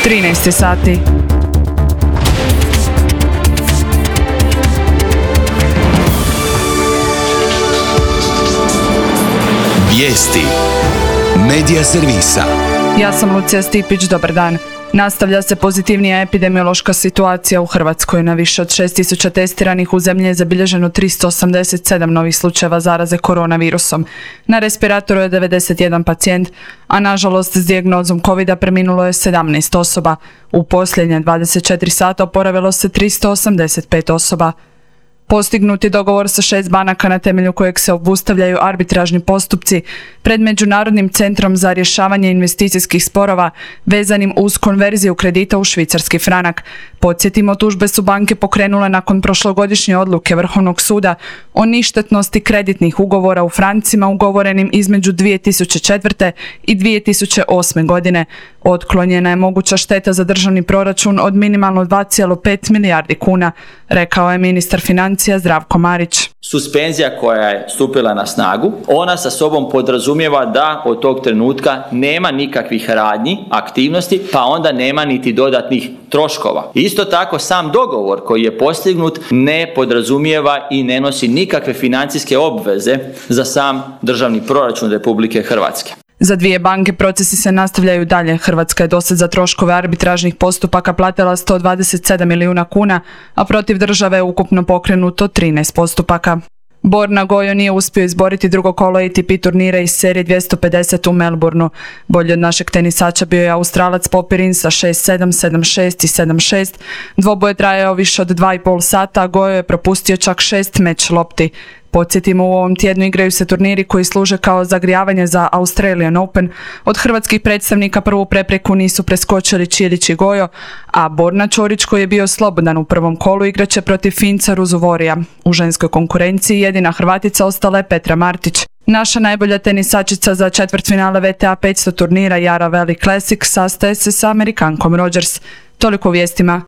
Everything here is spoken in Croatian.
13 sati. Vijesti Medija servisa. Ja sam Lucija Stipić, dobar dan. Nastavlja se pozitivnija epidemiološka situacija u Hrvatskoj. Na više od 6.000 testiranih u zemlji je zabilježeno 387 novih slučajeva zaraze koronavirusom. Na respiratoru je 91 pacijent, a nažalost s dijagnozom COVID-a preminulo je 17 osoba. U posljednje 24 sata oporavilo se 385 osoba. Postignut je dogovor sa 6 banaka na temelju kojeg se obustavljaju arbitražni postupci pred Međunarodnim centrom za rješavanje investicijskih sporova vezanim uz konverziju kredita u švicarski franak. Podsjetimo, tužbe su banke pokrenule nakon prošlogodišnje odluke Vrhovnog suda o ništetnosti kreditnih ugovora u francima ugovorenim između 2004. i 2008. godine. Otklonjena je moguća šteta za državni proračun od minimalno 2,5 milijardi kuna, rekao je ministar financija Zdravko Marić. Suspenzija koja je stupila na snagu, ona sa sobom podrazumijeva da od tog trenutka nema nikakvih radnji, aktivnosti, pa onda nema niti dodatnih troškova. Isto tako, sam dogovor koji je postignut ne podrazumijeva i ne nosi nikakve financijske obveze za sam državni proračun Republike Hrvatske. Za 2 banke procesi se nastavljaju dalje. Hrvatska je dosad za troškove arbitražnih postupaka platila 127 milijuna kuna, a protiv države je ukupno pokrenuto 13 postupaka. Borna Gojo nije uspio izboriti drugo kolo ATP turnira iz serije 250 u Melbourneu. Bolji od našeg tenisača bio je Australac Popirin sa 6-7, 7-6 i 7-6. Dvoboj je trajao više od 2,5 sata, a Gojo je propustio čak 6 meč lopti. Podsjetimo, u ovom tjednu igraju se turniri koji služe kao zagrijavanje za Australian Open. Od hrvatskih predstavnika prvu prepreku nisu preskočili Čilić i Gojo, a Borna Ćorić, koji je bio slobodan u prvom kolu, igraće protiv Finca Ruzuvorija. U ženskoj konkurenciji jedina Hrvatica ostala je Petra Martić. Naša najbolja tenisačica za četvrtfinale WTA 500 turnira Jara Valley Classic sastaje se sa Amerikankom Rodgers. Toliko u vijestima.